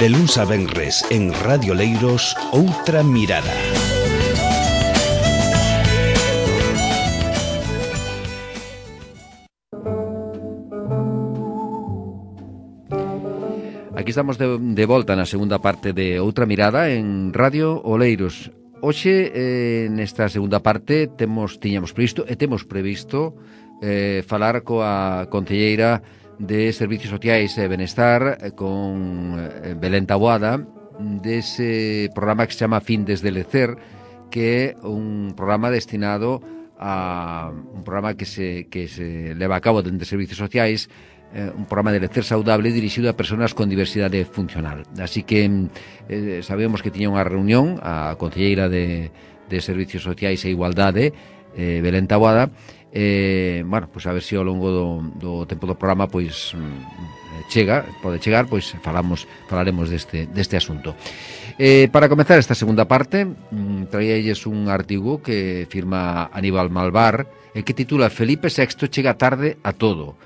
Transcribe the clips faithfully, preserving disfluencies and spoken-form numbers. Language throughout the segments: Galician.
De luns a venres en Radio Leiros, Outra Mirada. Aquí estamos de, de volta na segunda parte de Outra Mirada en Radio Oleiros. Hoxe, eh, nesta segunda parte, temos tiñamos previsto e temos previsto eh, falar coa concelleira de Servicios Sociais e Benestar, eh, con eh, Belén Taboada, dese programa que se chama Findes de Lecer, que é un programa destinado a un programa que se, que se leva a cabo dentro de Servicios Sociais, eh, un programa de lecer saudable dirixido a persoas con diversidade funcional. Así que eh, sabemos que tiña unha reunión a concelleira de, de Servicios Sociais e Igualdade, eh, Belén Taboada. Eh, bueno, pois a ver se ao longo do, do tempo do programa pois chega, pode chegar, pois falamos, falaremos deste, deste asunto. Eh, para comezar esta segunda parte, traíalles un artigo que firma Aníbal Malvar e que titula Felipe sexto chega tarde a todo.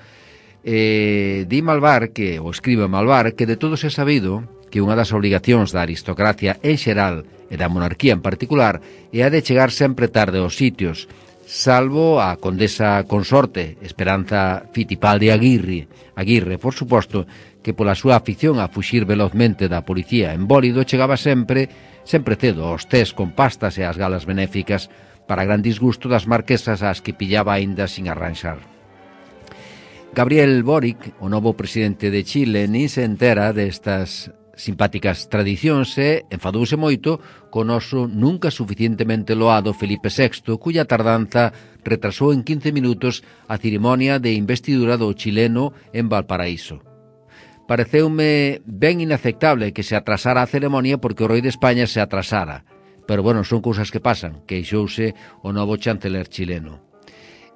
Eh, di Malvar, que, ou escribe Malvar, que de todos é sabido que unha das obrigacións da aristocracia en xeral e da monarquía en particular é a de chegar sempre tarde aos sitios, salvo a condesa consorte Esperanza Fittipaldi Aguirre, Aguirre, por suposto, que pola súa afición a fuxir velozmente da policía en bólido chegaba sempre, sempre cedo aos tés con pastas e as galas benéficas para gran disgusto das marquesas ás que pillaba aínda sin arranxar. Gabriel Boric, o novo presidente de Chile, nin se entera destas simpáticas tradicións e enfadouse moito co noso nunca suficientemente loado Felipe sexto, cuya tardanza retrasou en quince minutos a cerimonia de investidura do chileno en Valparaíso. Pareceume ben inaceptable que se atrasara a ceremonia porque o rei de España se atrasara, pero bueno, son cousas que pasan, queixouse o novo chanceler chileno.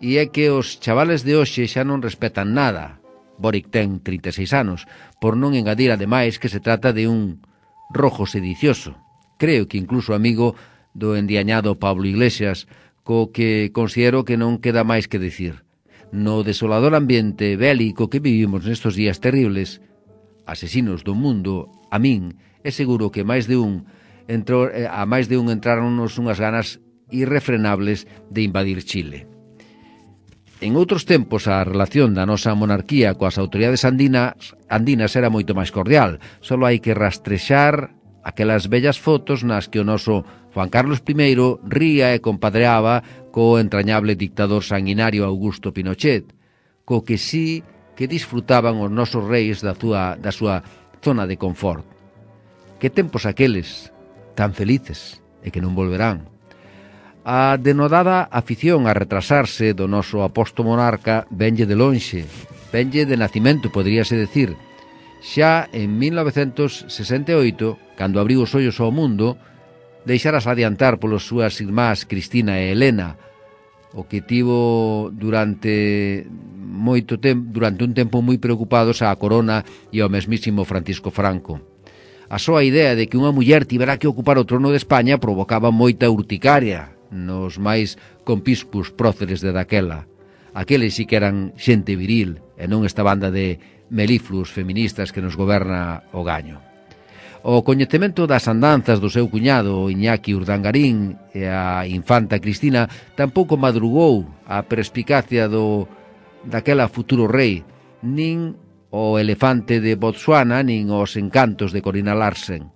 E é que os chavales de hoxe xa non respetan nada. Boric ten trinta e seis anos, por non engadir ademais que se trata de un rojo sedicioso. Creo que incluso amigo do endiañado Pablo Iglesias, co que considero que non queda máis que decir. No desolador ambiente bélico que vivimos nestes días terribles, asesinos do mundo, a min é seguro que máis de un entrou, a máis de un entraronnos unhas ganas irrefrenables de invadir Chile. En outros tempos a relación da nosa monarquía coas autoridades andinas, andinas era moito máis cordial. Só hai que rastrexar aquelas bellas fotos nas que o noso Juan Carlos primeiro ría e compadreaba co entrañable dictador sanguinario Augusto Pinochet, co que sí que disfrutaban os nosos reis da súa, da súa zona de confort. Que tempos aqueles tan felices e que non volverán. A denodada afición a retrasarse do noso aposto monarca venlle de lonxe, venlle de nacimento, poderíase decir. Xa en mil novecentos sesenta e oito, cando abriu os ollos ao mundo, deixaras adiantar polos súas irmás Cristina e Helena, o que tivo durante moito tempo, durante un tempo moi preocupados á corona e ao mesmísimo Francisco Franco. A súa idea de que unha muller tivera que ocupar o trono de España provocaba moita urticaria nos máis compispos próceres de daquela. Aqueles sí que eran xente viril e non esta banda de melifluos feministas que nos goberna o gaño. O coñecemento das andanzas do seu cuñado Iñaki Urdangarín e a infanta Cristina tampouco madrugou a perspicacia do daquela futuro rei, nin o elefante de Botsuana, nin os encantos de Corina Larsen.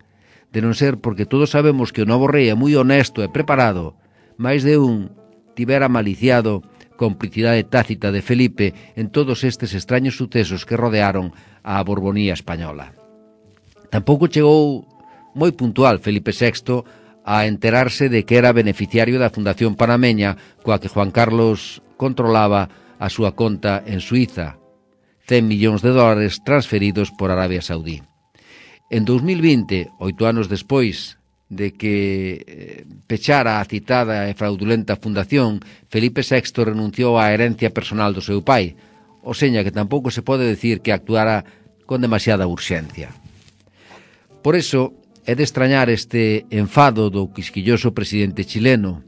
De non ser porque todos sabemos que o novo rei é moi honesto e preparado, máis de un tivera maliciado complicidade tácita de Felipe en todos estes extraños sucesos que rodearon a Borbonía española. Tampouco chegou moi puntual Felipe sexto a enterarse de que era beneficiario da Fundación Panameña coa que Juan Carlos controlaba a súa conta en Suiza, cen millóns de dólares transferidos por Arabia Saudí. En dous mil vinte, oito anos despois de que pechara a citada e fraudulenta fundación, Felipe sexto renunciou á herencia personal do seu pai, o seña que tampouco se pode decir que actuara con demasiada urxencia. Por iso, é de extrañar este enfado do quisquilloso presidente chileno.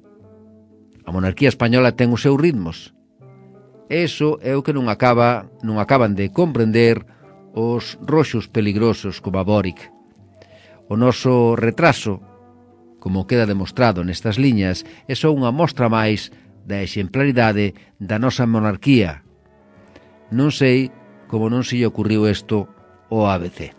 A monarquía española ten os seus ritmos. Eso é o que non acaba, non acaban de comprender os roxos peligrosos como a Boric. O noso retraso, como queda demostrado nestas liñas, é só unha mostra máis da exemplaridade da nosa monarquía. Non sei como non se lle ocurriu isto ao A B C.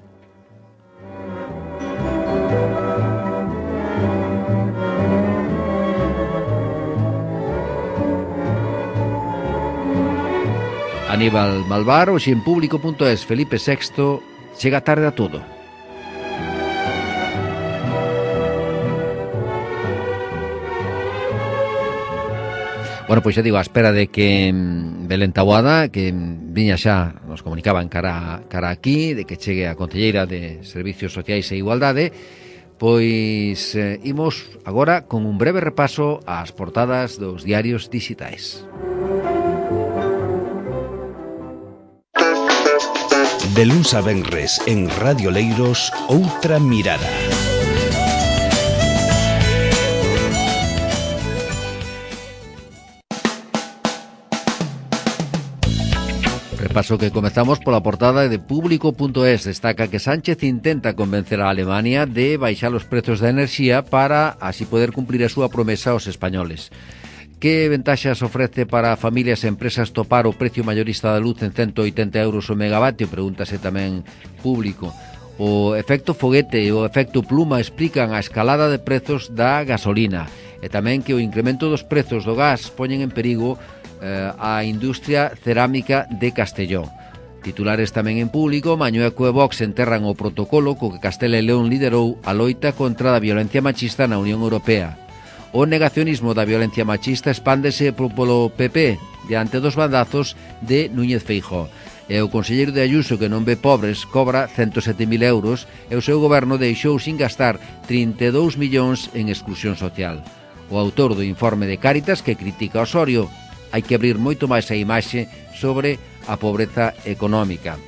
Aníbal Malvar, hoxe en público punto es, Felipe sexto, chega tarde a todo. Bueno, pois xa digo, a espera de que Belén Taboada, que viña xa, nos comunicaban cara, cara aquí, de que chegue a concelleira de Servicios Sociais e Igualdade, pois eh, imos agora con un breve repaso ás portadas dos diarios digitais. De luns a venres en Radio Leiros, Outra Mirada. Repaso que comezamos pola portada de público punto es. Destaca que Sánchez intenta convencer a Alemania de baixar os prezos da enerxía para así poder cumplir a súa promesa aos españoles. Que ventaxas ofrece para familias e empresas topar o precio mayorista da luz en ciento oitenta euros o megavatio? Pregúntase tamén público. O efecto foguete e o efecto pluma explican a escalada de prezos da gasolina e tamén que o incremento dos prezos do gas poñen en perigo eh, a industria cerámica de Castelló. Titulares tamén en público. Mañueco e Vox enterran o protocolo co que Castela e León liderou a loita contra a violencia machista na Unión Europea. O negacionismo da violencia machista expándese polo P P diante dos bandazos de Núñez Feijóo. E o conselleiro de Ayuso, que non ve pobres, cobra ciento sete mil euros e o seu goberno deixou sin gastar trinta e dous millóns en exclusión social. O autor do informe de Cáritas, que critica Osorio, hai que abrir moito máis a imaxe sobre a pobreza económica.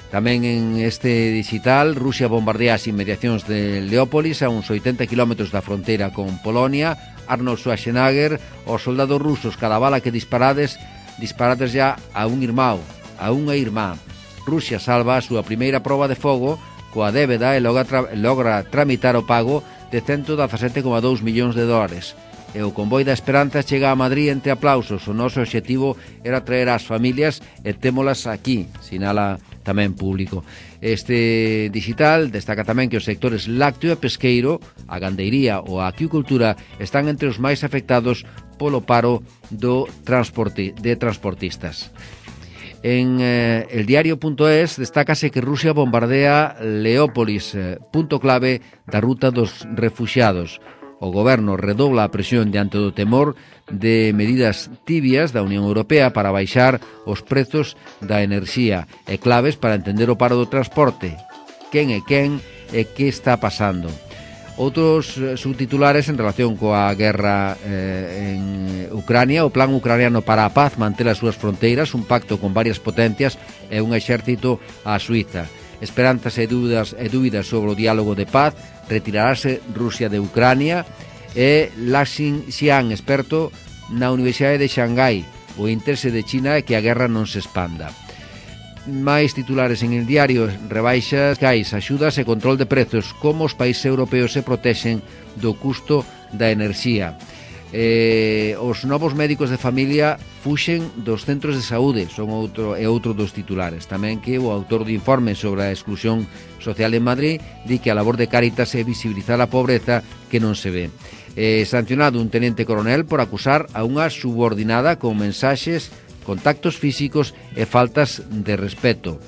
Tamén en este digital, Rusia bombardea as inmediacións de Leópolis a uns oitenta kilómetros da fronteira con Polonia. Arnold Schwarzenegger, os soldados rusos, cada bala que disparades, disparades ya a un irmão, a unha irmá. Rusia salva a súa primeira proba de fogo coa débeda e logra, tra logra tramitar o pago de ciento dezasete coma dous millóns de dólares. E o convoi da esperanza chega a Madrid entre aplausos. O noso obxectivo era traer as familias e témolas aquí, sinala tamén público. Este digital destaca tamén que os sectores lácteo e pesqueiro, a gandeiría ou a aquicultura están entre os máis afectados polo paro do transporte, de transportistas. En eh, el diario punto es destácase que Rusia bombardea Leópolis, eh, punto clave da ruta dos refuxiados. O goberno redobla a presión diante do temor de medidas tibias da Unión Europea para baixar os prezos da enerxía e claves para entender o paro do transporte. Quen é quen e que está pasando? Outros subtitulares en relación coa guerra eh, en Ucrania. O plan ucraniano para a paz manter as súas fronteiras, un pacto con varias potencias e un exército a Suiza. Esperanzas e dúbidas, e dúbidas sobre o diálogo de paz. Retirarase Rusia de Ucrania. E Laxin Xian, experto na Universidade de Xangai. O interese de China é que a guerra non se expanda. Máis titulares en el diario. Rebaixas, cais, axudas e control de prezos. Como os países europeos se protexen do custo da enerxía. Eh, os novos médicos de familia fuxen dos centros de saúde, son outro e outro dos titulares. Tamén que o autor do informe sobre a exclusión social en Madrid di que a labor de Cáritas é visibilizar a pobreza que non se ve. Eh, sancionado un tenente coronel por acusar a unha subordinada con mensaxes, contactos físicos e faltas de respeto.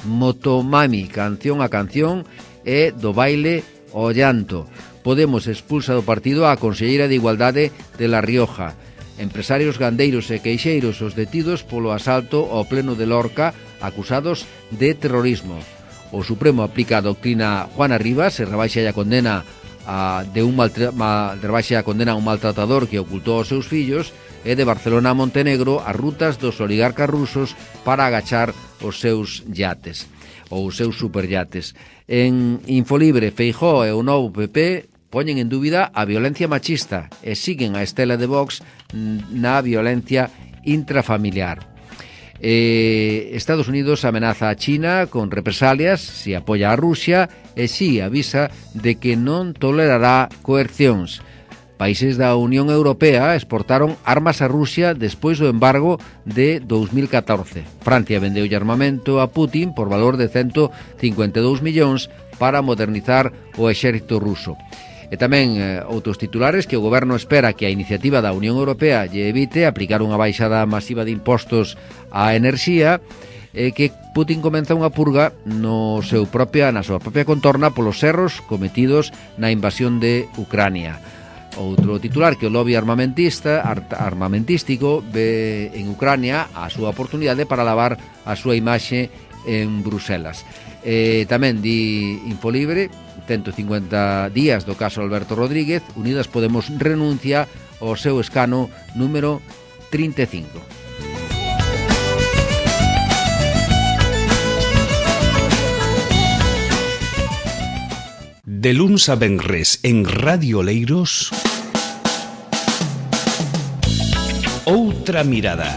Motomami, canción a canción e do baile ao llanto. Podemos expulsa do partido a conselleira de Igualdade de La Rioja. Empresarios gandeiros e queixeiros os detidos polo asalto ao pleno de Lorca, acusados de terrorismo. O Supremo aplica a doctrina Juana Rivas e rebaixa a condena a, de un maltra, ma, rebaixa a condena a un maltratador que ocultou aos seus fillos. E de Barcelona a Montenegro as rutas dos oligarcas rusos para agachar os seus yates ou os seus superyates. En Infolibre, Feijóo e o novo P P poñen en dúbida a violencia machista e siguen a estela de Vox na violencia intrafamiliar. Eh, Estados Unidos amenaza a China con represalias se apoia a Rusia e si avisa de que non tolerará coercións. Países da Unión Europea exportaron armas a Rusia despois do embargo de dous mil catorce. Francia vendeu armamento a Putin por valor de ciento cincuenta e dous millóns para modernizar o exército ruso. E tamén eh, outros titulares que o goberno espera que a iniciativa da Unión Europea lle evite aplicar unha baixada masiva de impostos á enerxía e que Putin comeza unha purga no seu propia, na súa propia contorna polos erros cometidos na invasión de Ucrania. Outro titular que o lobby armamentista armamentístico ve en Ucrania a súa oportunidade para lavar a súa imaxe en Bruselas. Eh, tamén di Infolibre, ciento cincuenta días do caso Alberto Rodríguez, Unidas Podemos renuncia ao seu escano número trinta e cinco. De luns a venres en Radio Oleiros, Outra Mirada.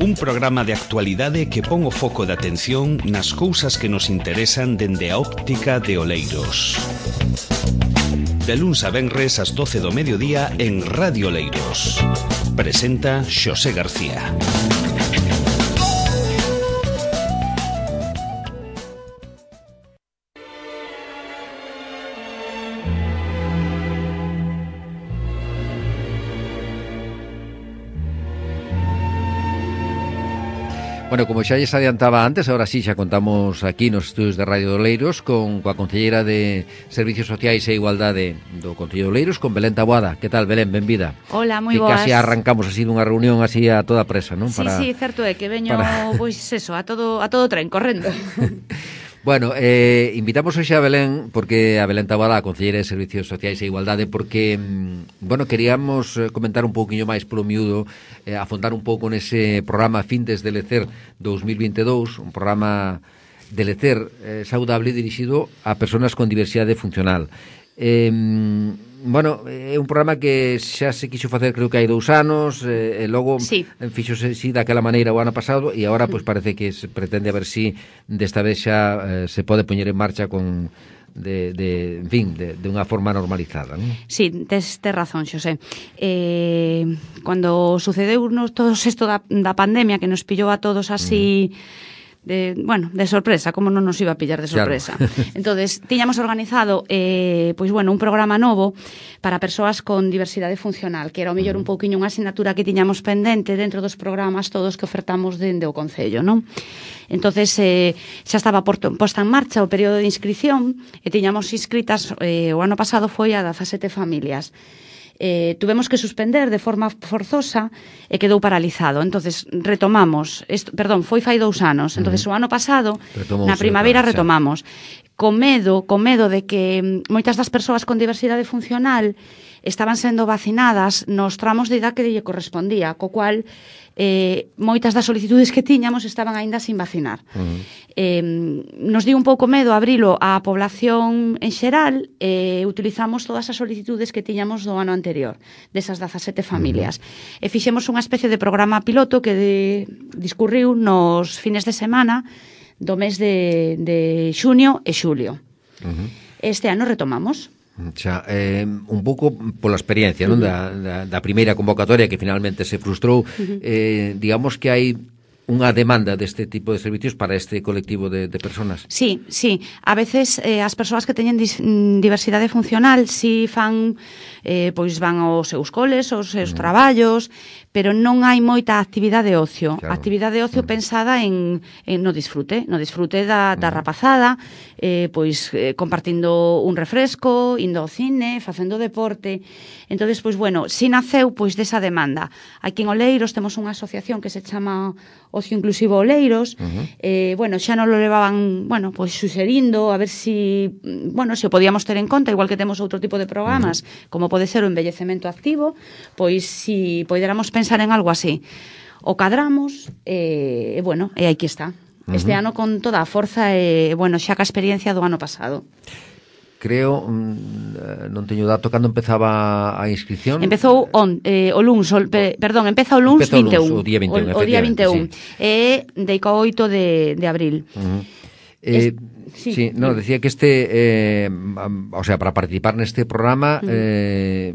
Un programa de actualidade que pon o foco de atención nas cousas que nos interesan dende a óptica de Oleiros. De luns a venres ás doce do mediodía en Radio Oleiros. Presenta Xosé García. Bueno, como xa lles adiantaba antes, ahora sí xa contamos aquí nos estudios de Radio Oleiros con coa concelleira de Servicios Sociais e Igualdade do Concello de Oleiros, con Belén Taboada. Que tal, Belén? Benvida. Hola, moi que boas. Que casi arrancamos así dunha reunión así a toda presa, non? Sí, Para... sí, certo é que veño, para... pois eso, a todo a todo tren, correndo. Bueno, eh, invitamos hoxe a Belén, porque a Belén Taboada, a concelleira de Servicios Sociais e Igualdade, porque, bueno, queríamos comentar un pouquiño máis polo miúdo, eh, afondar un pouco nese programa Findes de Lecer dous mil vinte e dous, un programa de lecer eh, saudable dirixido a persoas con diversidade funcional. Eh, bueno, é un programa que xa se quixo facer creo que hai dous anos e, e logo sí. fixose si daquela maneira o ano pasado e agora pois parece que se pretende a ver si desta vez xa eh, se pode poñer en marcha con de, de en fin, de, de unha forma normalizada, non? Sí, tes, tes razón, Xosé. Eh, cando sucedeu nos todo isto da, da pandemia que nos pillou a todos así mm. De, bueno, de sorpresa, como non nos iba a pillar de sorpresa. Claro. Entonces, tiñamos organizado eh, pois bueno, un programa novo para persoas con diversidade funcional, que era o mellor un pouquiño unha asignatura que tiñamos pendente dentro dos programas todos que ofertamos dende o Concello, non? Entonces, eh, xa estaba posta en marcha o período de inscripción e tiñamos inscritas, eh, o ano pasado foi a dezasete familias. Eh, tuvemos que suspender de forma forzosa e quedou paralizado. Entonces retomamos, esto, perdón, foi fai dous anos. Entonces o ano pasado, Retomou na primaveira retomamos. Con medo, con medo de que moitas das persoas con diversidade funcional estaban sendo vacinadas nos tramos de idade que lle correspondía, co cual eh, moitas das solicitudes que tiñamos estaban aínda sin vacinar. Uh-huh. Eh, nos dio un pouco medo abrilo á población en xeral e eh, utilizamos todas as solicitudes que tiñamos do ano anterior, desas dezasete familias. Uh-huh. E fixemos unha especie de programa piloto que de, discurriu nos fines de semana do mes de, de xuño e xulio. Uh-huh. Este ano retomamos. Xa, eh, un pouco pola experiencia, non? Da, da, da primeira convocatoria que finalmente se frustrou, eh, digamos que hai unha demanda deste tipo de servicios para este colectivo de, de personas. Sí, sí. A veces eh, as persoas que teñen dis, diversidade funcional si fan, eh, pois van aos seus coles, aos seus mm. traballos, pero non hai moita actividade de ocio. Claro. Actividade de ocio mm. pensada en, en no disfrute, no disfrute da, da mm. rapazada, eh, pois eh, compartindo un refresco, indo ao cine, facendo deporte. Entonces, pois bueno, si naceu pois desa demanda. Aquí en Oleiros temos unha asociación que se chama Ocio Inclusivo Oleiros. Uh-huh. Eh, bueno, xa non lo levaban, bueno, pois suxerindo a ver si, bueno, se o podíamos ter en conta, igual que temos outro tipo de programas, uh-huh. como pode ser o envellecemento activo, pois si poderamos pensar en algo así. O cadramos, e eh, bueno, e aquí está. Uh-huh. Este ano con toda a forza e, eh, bueno, xa ca experiencia do ano pasado. creo, mm, non teño dato, cando empezaba a inscripción? Empezou on, eh, o luns, o, pe, perdón, empeza o luns vinte e un. O día vinte e un, o, o día vinte e un. Sí. E deico oito de, de abril. Uh-huh. Eh, sí, sí, no, decía que este, eh, o sea, para participar neste programa, uh-huh. eh,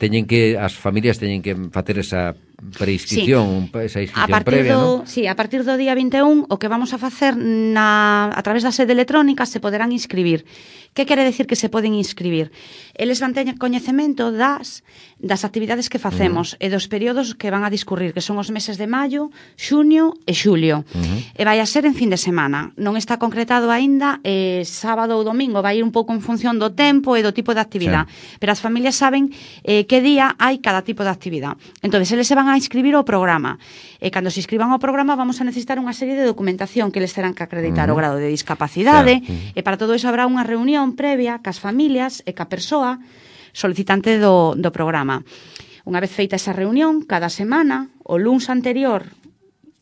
teñen que, as familias teñen que facer esa preinscripción, sí. esa inscripción previa, do, ¿no? Sí, a partir do día vinte e un, o que vamos a facer na, a través da sede electrónica se poderán inscribir. Que quere decir que se poden inscribir? Eles van ter coñecemento das, das actividades que facemos uh-huh. e dos períodos que van a discurrir, que son os meses de maio, xuño e xulio. Uh-huh. E vai a ser en fin de semana. Non está concretado aínda eh, sábado ou domingo, vai ir un pouco en función do tempo e do tipo de actividade. Sí. Pero as familias saben eh, que día hai cada tipo de actividade. Entón, eles se van a inscribir ao programa. E cando se inscriban ao programa vamos a necesitar unha serie de documentación que eles terán que acreditar uh-huh. o grado de discapacidade, claro. uh-huh. e para todo iso habrá unha reunión previa cas familias e ca persoa solicitante do, do programa. Unha vez feita esa reunión, cada semana, o luns anterior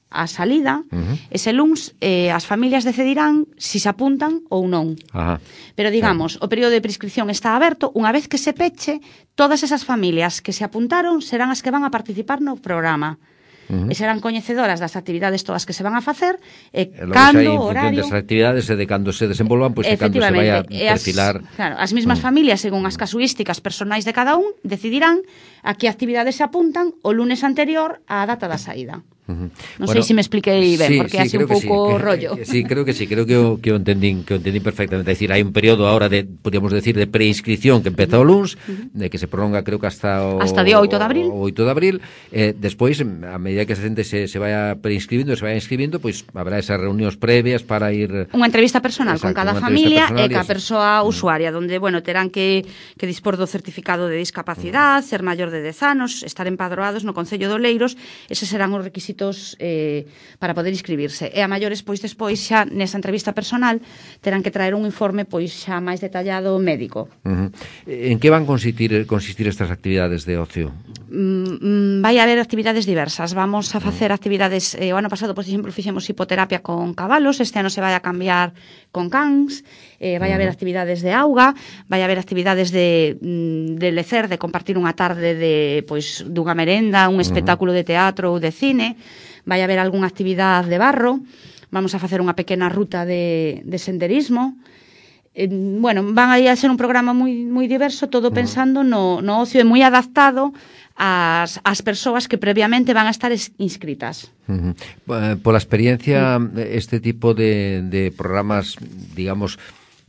á salida, uh-huh. ese luns eh, as familias decidirán si se apuntan ou non. Ajá. Pero digamos, sí. o período de prescripción está aberto, unha vez que se peche, todas esas familias que se apuntaron serán as que van a participar no programa. Uh-huh. E serán coñecedoras das actividades todas que se van a facer e, e cando, en horario... desas actividades e de cando se desenvolvan, pois pues, cando se vai a perfilar... As, claro, as mismas uh-huh. familias, según as casuísticas personais de cada un, decidirán a que actividades se apuntan o lunes anterior á data da saída. Uh-huh. Non bueno, sei se me expliquei ben, sí, porque sí, así un pouco sí. rollo. Sí, creo que sí, creo que o, que o entendín, que o entendín perfectamente. É dicir, hai un período ahora de, podríamos decir, de preinscripción que empeza o luns, uh-huh. de que se prolonga, creo que hasta o hasta día oito de abril. O oito de abril, eh, despois, a medida que a xente se, se vaya preinscribindo, se vaya inscribindo, pois pues, habrá esas reunións previas para ir... Unha entrevista personal exacto, con cada familia e ca persoa uh-huh. usuaria, donde, bueno, terán que, que dispor do certificado de discapacidade, uh-huh. ser maior de dez anos, estar empadroados no Concello de Oleiros, eses serán os requisitos eh, para poder inscribirse. E a maiores, pois, despois, xa, nesa entrevista personal, terán que traer un informe, pois, xa máis detallado médico. Uh-huh. En que van consistir, consistir estas actividades de ocio? Mm, vai haber actividades diversas. Vamos a facer uh-huh. actividades, eh, o ano pasado, por exemplo, fixemos hipoterapia con cabalos, este ano se vai a cambiar con cans, eh, vai uh-huh. haber actividades de auga, vai haber actividades de, de lecer, de compartir unha tarde de, pois, dunha merenda, un espectáculo uh-huh. de teatro ou de cine, vai haber algunha actividade de barro, vamos a facer unha pequena ruta de, de senderismo. Eh, bueno, van a ser un programa moi moi diverso, todo pensando no, no ocio e moi adaptado ás, ás persoas que previamente van a estar inscritas. Uh-huh. Pola experiencia, este tipo de, de programas, digamos,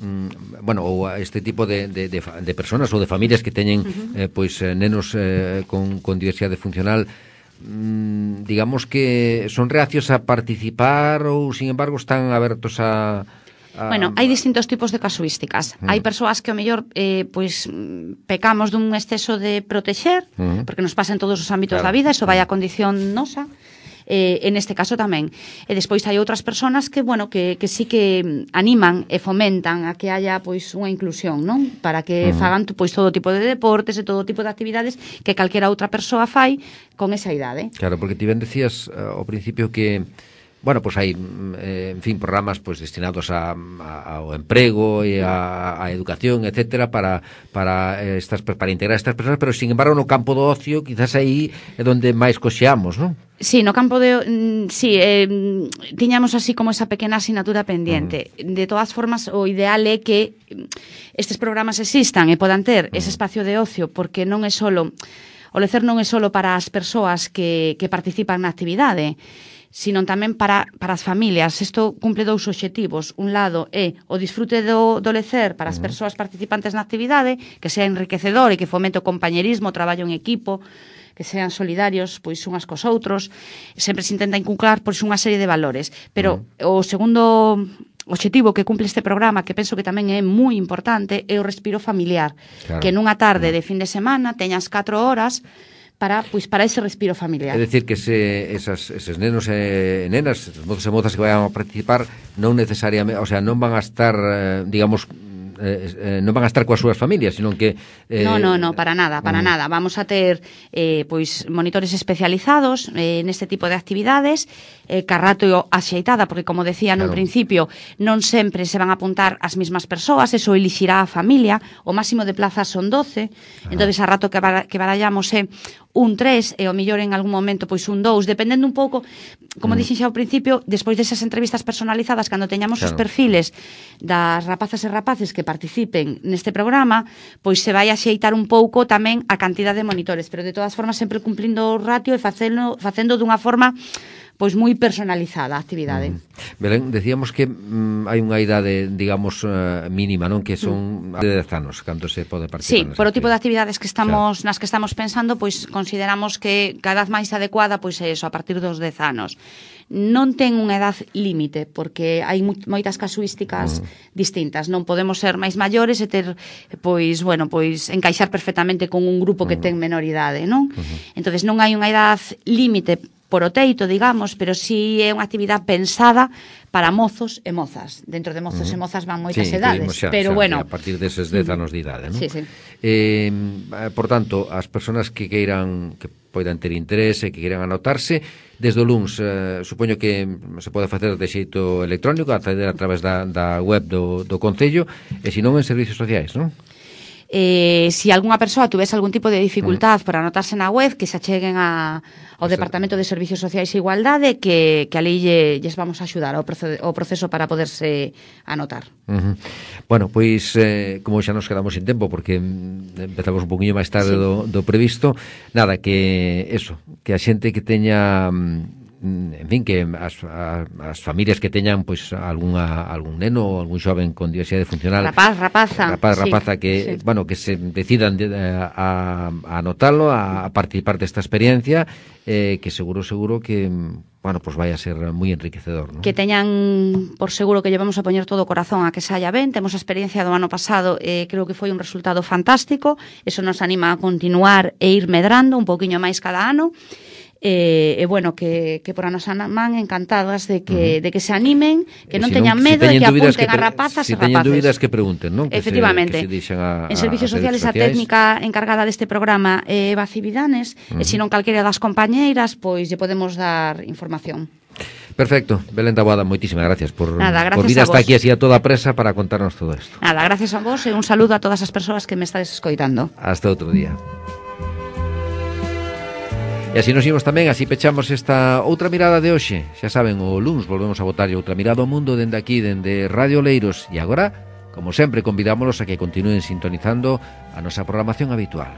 mm, bueno, ou este tipo de, de, de, de personas ou de familias que teñen uh-huh. eh, pois nenos eh, con, con diversidade funcional, digamos que son reacios a participar ou, sin embargo, están abertos a... a... Bueno, hai distintos tipos de casuísticas. Mm. Hai persoas que, ao mellor, eh, pois, pecamos dun exceso de protexer, mm. porque nos pasa en todos os ámbitos claro. da vida, eso vai a condición nosa, eh, en este caso tamén. E despois hai outras persoas que, bueno, que, que sí que animan e fomentan a que haya, pois, unha inclusión, non? Para que uh-huh. fagan, pois, todo tipo de deportes e todo tipo de actividades que calquera outra persoa fai con esa idade. Claro, porque ti ben decías uh, ao principio que bueno, pois pues hai, eh, en fin, programas pois pues, destinados a, a, ao emprego e a, a educación, etcétera, para para estas para integrar estas persoas, pero sin embargo no campo do ocio, quizás aí é onde máis coxeamos, non? Sí, no campo de... Mm, sí, eh, tiñamos así como esa pequena asignatura pendiente. Uh-huh. De todas formas, o ideal é que estes programas existan e podan ter uh-huh. ese espacio de ocio, porque non é solo... O lecer non é solo para as persoas que, que participan na actividade, sino tamén para, para as familias. Isto cumple dous obxectivos. Un lado é o disfrute do, do lecer para as persoas participantes na actividade, que sea enriquecedor e que fomente o compañerismo, o traballo en equipo, que sean solidarios pois unhas cos outros. Sempre se intenta inculcar pois unha serie de valores. Pero uh-huh. o segundo obxectivo que cumple este programa, que penso que tamén é moi importante, é o respiro familiar. Claro. Que nunha tarde de fin de semana teñas catro horas para pois para ese respiro familiar. É dicir que se esas eses nenos e nenas, mozos e mozas que vayan a participar, non necesariamente, o sea, non van a estar, digamos, eh, eh, non van a estar coas súas familias, sino que... Eh, no, no, no, para nada, para um... nada. Vamos a ter eh, pois monitores especializados eh, neste tipo de actividades, eh, carrato axeitada, porque como decía claro. nun principio, non sempre se van a apuntar as mesmas persoas, eso elixirá a familia, o máximo de plazas son doce, ah. entón a rato que, bar que barallamos é un tres e o millor en algún momento pois un dous, dependendo un pouco, como mm. dixen xa ao principio, despois desas entrevistas personalizadas, cando teñamos claro. os perfiles das rapazas e rapaces que participen neste programa, pois se vai a xeitar un pouco tamén a cantidade de monitores, pero de todas formas sempre cumplindo o ratio e facendo, facendo dunha forma pois moi personalizada a actividade. Mm. Belén, decíamos que mm, hai unha idade, digamos, uh, mínima, non? Que son mm. de dez anos, cando se pode participar. Sí, por o tipo de actividades que estamos, claro. nas que estamos pensando, pois consideramos que cada vez máis adecuada pois é eso, a partir dos dez anos. Non ten unha edad límite, porque hai moitas casuísticas mm. distintas. Non podemos ser máis maiores e ter, pois, bueno, pois encaixar perfectamente con un grupo que mm. ten menor idade, non? Mm-hmm. Entonces non hai unha edad límite por o teito, digamos, pero si é unha actividade pensada para mozos e mozas. Dentro de mozos uh-huh. e mozas van moitas sí, edades, xa, pero xa, bueno... A partir deses dez anos de idade, non? Sí, sí. Eh, por tanto, as persoas que queiran, que poidan ter interese, que queiran anotarse, desde o luns, eh, supoño que se pode facer de xeito electrónico, acceder a través da, da web do, do Concello, e se non en servicios sociais, non? Eh, si algunha persoa tuvese algún tipo de dificultad mm. por anotarse na web, que se acheguen a, ao Departamento de Servicios Sociais e Igualdade, que, que ali lle, lles vamos a axudar ao proceso, ao proceso para poderse anotar. Uh-huh. Bueno, pois, eh, como xa nos quedamos sin tempo, porque empezamos un poquinho máis tarde sí. do, do previsto, nada, que eso, que a xente que teña... en fin, que as, as familias que teñan pois algunha, algún neno ou algún xoven con diversidade funcional, rapaz, rapaza, rapaz, sí, rapaza que, sí. bueno, que se decidan de, a, a anotalo, a, a participar desta experiencia, eh, que seguro, seguro que bueno, pues vai a ser moi enriquecedor, ¿no? Que teñan por seguro que llevamos a poñer todo o corazón a que saia ben. Temos a experiencia do ano pasado, eh, creo que foi un resultado fantástico, eso nos anima a continuar e ir medrando un pouquiño máis cada ano. E, eh, eh, bueno, que, que por a nosa man encantadas de que, uh-huh. de que se animen, que non si teñan medo si e que apunten a rapazas si e rapaces. Si teñen dúbidas que pregunten, non? Que efectivamente. Se, que se a, en Servicios a Sociales a técnica encargada deste programa é Eva Cividanes, uh-huh. e se non calquera das compañeiras, pois lle podemos dar información. Perfecto, Belén Taboada, moitísimas gracias por, Nada, gracias por vir hasta aquí así a toda presa para contarnos todo isto. Nada, gracias a vos e un saludo a todas as persoas que me estades escoitando. Hasta outro día. E así nos imos tamén, así pechamos esta outra mirada de hoxe. Xa saben, o luns volvemos a botar outra mirada ao mundo dende aquí, dende Radio Oleiros. E agora, como sempre, convidámolos a que continúen sintonizando a nosa programación habitual.